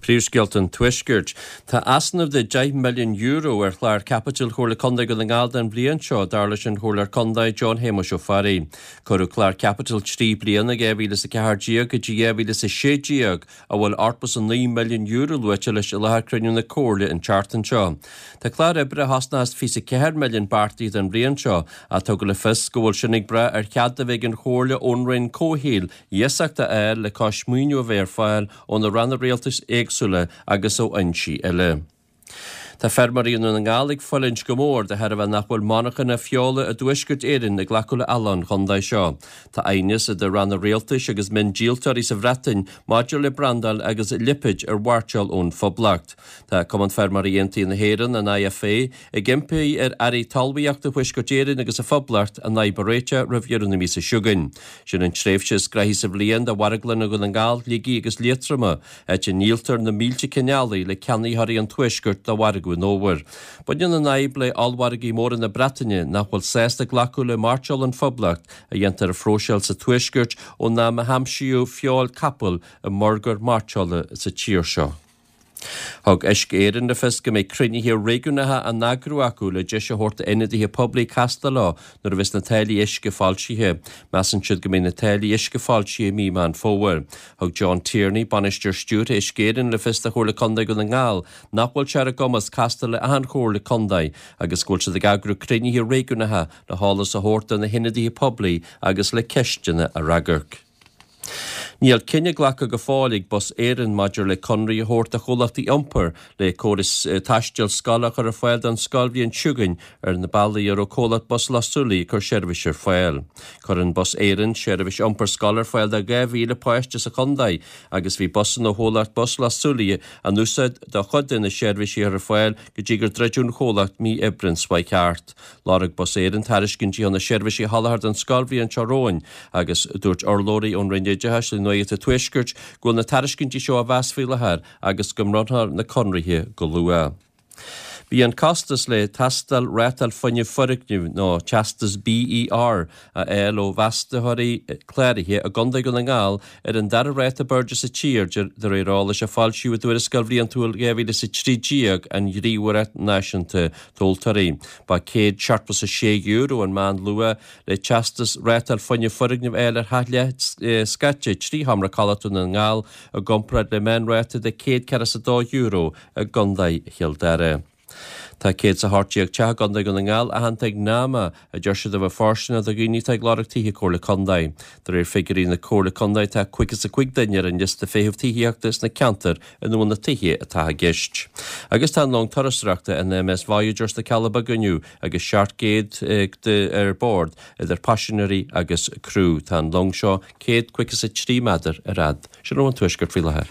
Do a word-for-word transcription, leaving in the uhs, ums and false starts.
Príomhscéalta an Tuaiscirt. Tá easnamh de deich milliún euro ar chlár caipitil Chomhairle Contae Dhún na nGall don bhliain seo, dar leis an Chomhairleoir Contae John Shéamuis Ó Fearraigh. Cuireadh clár caipitil trí bliana dhá mhíle is a ceathair déag go dtí dhá mhíle is a sé déag, a bhfuil ochtó is a naoi milliún euro luaite leis i láthair cruinniú na Comhairle an tseachtain seo. Tá clár oibre a chosnós fiche is a ceathair milliún beartaithe don bhliain seo, ach tugadh le fios go bhfuil sin ag brath ar chead a bheith ag an Chomhairle ón Roinn Comhshaoil iasacht a fháil le cois maoiniú a bheith ar fáil ó na ranna rialtais éagsúla agus ó fhoinsí eile. Tá feirmeoirí i nDún na nGall ag fulaingt go mór de thairbhe nach bhfuil monarchana feola i dTuaisceart Éireann ag glacadh le eallach an chontae seo. Tá aighneas idir ranna rialtais agus miondíoltóirí sa Bhreatain maidir le brandáil agus lipéid ar mhairteoil ón Phoblacht. Tá Cumann Feirmeoirí Aontaithe na hÉireann, an IFA, ag impí ar Airí Talmhaíochta Thuaisceart Éireann agus an Phoblacht an fhadhb a réiteach roimh dheireadh na míosa seo chugainn. Sin an tréimhse is gnoithí sa bhliain do mharglanna Dhún na nGall, Shligigh agus Liatroma, áit a ndíoltar na mílte cinn eallaigh le ceannaitheoirí an Tuaiscirt do mhargadh an fhómhair. Baineann an fhadhb le ollmhargaí móra na Breataine nach bhfuil sásta glacadh le mairteoil ón Phoblacht a dhéantar a phróiseáil sa Tuaisceart ón am a haimsíodh feoil capaill i mburgar mairteola sa tír seo. Thug Uisce Éireann le fios go mbeidh cruinnithe réigiúnacha á n-eagrú acu le deis a thabhairt d'ionadaithe poiblí castáil leo nuair a bheas na táillí uisce foilsithe. Measann siad go mbeidh na táillí uisce foilsithe i mí Meán Fómhair. Thug John Tierney, bainisteoir stiúrtha Uisce Éireann le fios do Chomhairle Contae Dhún na nGall nach bhfuil sé ar a gcumas castáil le achan chomhairle contae agus go bhfuil siad ag eagrú cruinnithe réigiúnacha le heolas a thabhairt do na hionadaithe poiblí agus le ceisteanna a fhreagairt. Níl cinneadh glactha go fóill ag Bus Éireann maidir le conraí a thabhairt do chomhlachtaí iompair le córas taistil scoile a chur ar fáil don scoilbhliain seo chugainn ar na bealaí a raibh comhlacht Bus Loch Súilí ag cur seirbhís ar fáil. Cuireann Bus Éireann seirbhís iompair scoile ar fáil do dhá mhíle páiste sa chontae agus bhí busanna ó chomhlacht Bus Loch Súilí á n-úsáid do chuid de na seirbhísí a chur ar fáil go dtí gur druideadh an chomhlacht mí Aibreáin seo chuaigh thart. Lorg Bus Éireann tairiscintí chun na seirbhísí a sholáthar don scoilbhliain seo romhainn agus dúirt urlabhraí ón Roinn Oideachais le Nuacht an Tuaiscirt go bhfuil na tairiscintí seo á mheas faoi láthair agus go mbronnfar na conraithe go luath. Bhí an costas le tástáil rátáil fuinnimh foirgnimh nó teastas BER a fháil ó mheastóirí cláraithe i gContae Dhún na nGall ar an dara ráta ab airde sa tír de réir eolais a foilsíodh i dtuarascáil bhliantúil dhá mhíle is a trí déag an Ghníomhaireacht Náisiúnta Tomhaltóirí. Ba céad seachtó is a sé euro an meánluach le teastas rátáil fuinnimh foirgnimh a fháil ar theach leathscaite trí sheomra codlata i nDún na nGall i gcomparáid le meánráta de céad ceathracha is a dó euro i gContae Chill Dara. Tá céad is a hocht déag teach i gContae Dhún na nGall aitheanta ag NAMA a deir siad a bheith fóirsteanach do dhaoine atá ag lorg tithe Comhairle Contae. De réir figiúirí na Comhairle Contae tá caoga is a cúig duine ar an liosta feithimh tithíochta sna ceantair ina bhfuil na tithe atá i gceist. Agus tá an long turasóireachta an MS Voyager sna Cealla Beaga inniu agus seacht gcéad ar bord idir paisinéirí agus criú. Tá an long seo céad caoga is a trí méadar ar fhad. Sin ó an Tuaisceart faoi láthair.